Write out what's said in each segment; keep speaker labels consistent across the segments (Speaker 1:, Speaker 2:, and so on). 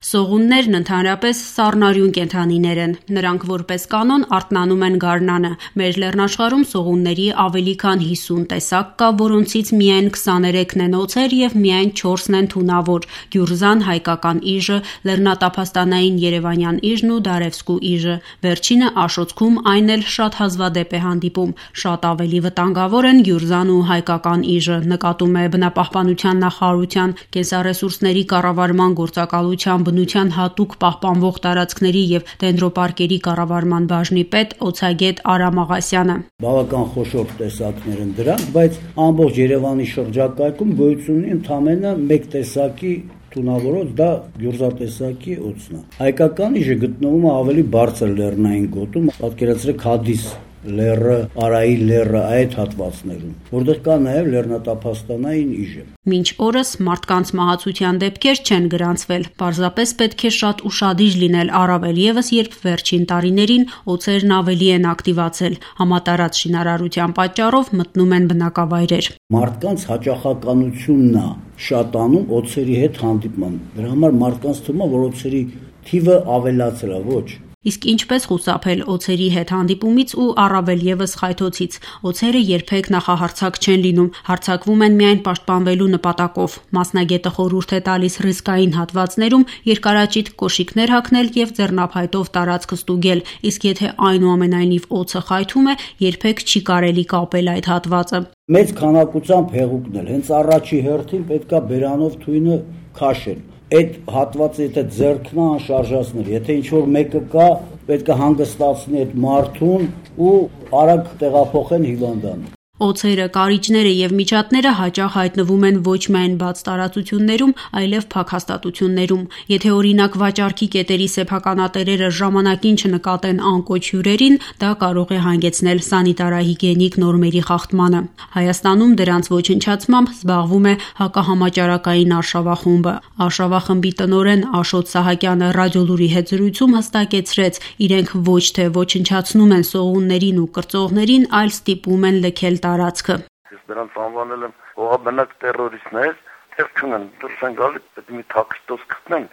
Speaker 1: Սողուններն ընդհանրապես սառնարյուն կենդանիներ են։ Նրանք որպես կանոն արթնանում են գարնանը։ Մեր լեռնաշխարհում սողունների ավելի քան 50 տեսակ կա, որոնցից միայն 23-ն են օձեր եւ միայն 4-ն են թունավոր՝ գյուրզան, հայկական իժը, լեռնատափաստանային երևանյան իժն ու դարևսկու իժը։ Վերջինը Աշոցքում այն էլ շատ հազվադեպ է հանդիպում։ Շատ ավելի վտանգավոր են գյուրզան ու հայկական իժը, նկատում է բնապահպանության նախարարության կենսառեսուրսների կառավարման գործակալության բնության հատուկ պահպանվող տարածքների եւ դենդրոպարկերի կառավարման բաժնի պետ օձագետ Արամ Աղասյանը։
Speaker 2: Բավական խոշոր տեսակներ են դրանք, բայց ամբողջ Երևանի շրջակայքում գոյություն ունի ընդամենը մեկ տեսակի թունավորոց, դա գյուրզատեսակի օձն է։ Հայկական իժը գտնվում է ավելի բարձր լեռնային գոտում, պատկերացրեք Հադիս լեռը, Արայի լեռը այդ հատվածներում, որտեղ կա նաև լեռնատափաստանային իժը։
Speaker 1: Մինչ օրս մարդկանց մահացության դեպքեր չեն գրանցվել, պարզապես պետք է շատ ուշադիր լինել, առավել ևս երբ վերջին տարիներին օձերն ավելի են ակտիվացել, համատարած շինարարության պատճառով մտնում են բնակավայրեր։
Speaker 2: Մարդկանց հաճախականությունն է շատանում օձերի հետ հանդիպման։ Դրա համար մարդկանց թվում է, որ օձերի թիվը ավելացել է, ոչ։
Speaker 1: Իսկ ինչպես խուսափել օձերի հետ հանդիպումից ու առավել ևս խայթոցից։ Օձերը երբեք նախահարձակ չեն լինում, հարձակվում են միայն պաշտպանվելու նպատակով։ Մասնագետը խորհուրդ է տալիս ռիսկային հատվածներում երկարաճիտ կոշիկներ հագնել եւ ձեռնափայտով տարածքը ստուգել, իսկ եթե այնուամենայնիվ օձը խայթում է, երբեք չի կարելի կապել այդ հատվածը։
Speaker 2: Մեծ քանակությամբ հեղուկնել, հենց առաջի հերթին պետքա բերանով թույնը քաշել։ Այդ հատվածը եթե ձեռքն անշարժացնել, եթե ինչ-որ մեկը կա, պետք է հանգստացնի այդ մարդուն ու արագ տեղափոխեն հիվանդան։
Speaker 1: Օձերը, կարիճները եւ միջատները հաճախ հայտնվում են ոչ միայն բաց տարածություններում, այլև փակ հաստատություններում։ Եթե օրինակ վաճառքի կետերի սեփականատերերը ժամանակին չնկատեն անկոչ հյուրերին, դա կարող է հանգեցնել սանիտարահիգիենիկ նորմերի խախտմանը։ Հայաստանում դրանց ոչնչացմամբ զբաղվում է հակահամաճարակային արշավախումբը։ Արշավախմբի տնօրեն Աշոտ Սահակյանը ռադիոլուրի հետ զրույցում հստակեցրեց, իրենք ոչ թե ոչնչացնում են սողուններին ու կրծողներին, այլ ստիպում են լքել տարածքը։
Speaker 3: Ես նրանց անվանել եմ ողաբնակ տերորիստներ, թեր չունեն, դուրս են գալի, պետք է մի թաքստոց գտնեն,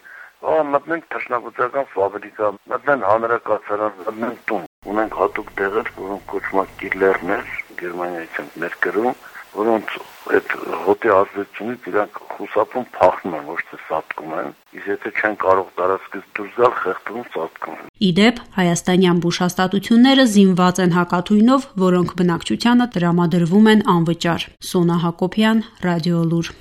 Speaker 3: մտնենք թռչնաբուծական ֆաբրիկա, մտնեն հանրակացարան, մտնեն տուն։ Ունենք հատուկ տեղեր, որոնք կոչվում են կիլերներ, Գերմանիայից են մեր գրում, որոնց այդ հոտի ազդեցությունից իրանք խուսափում փախնում են, ոչ թե սատկում են, իսկ եթե չեն կարող տարածքից դուրս գալ, խեղդվում սատկում են։
Speaker 1: Իդեպ, հայաստանյան բուժհաստատությունները զինված են հակաթույնով, որոնք բնակչությանը տրամադրվում են անվճար։ Սոնա Հակոբյան, Ռադիոլուր։